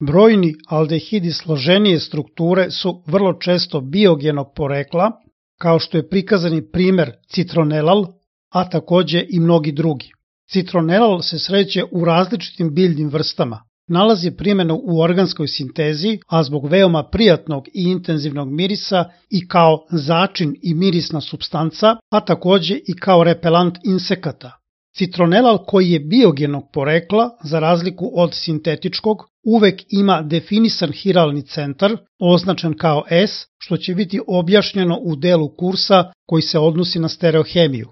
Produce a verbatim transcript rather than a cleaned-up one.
Brojni aldehidi složenije strukture su vrlo često biogenog porekla, kao što je prikazani primer citronelal, a takođe i mnogi drugi. Citronelal se sreće u različitim biljnim vrstama. Nalazi primjenu u organskoj sintezi, a zbog veoma prijatnog i intenzivnog mirisa i kao začin i mirisna supstanca, a takođe i kao repelant insekata. Citronelal koji je biogenog porekla, za razliku od sintetičkog, uvek ima definisan hiralni centar, označen kao S, što će biti objašnjeno u delu kursa koji se odnosi na stereohemiju.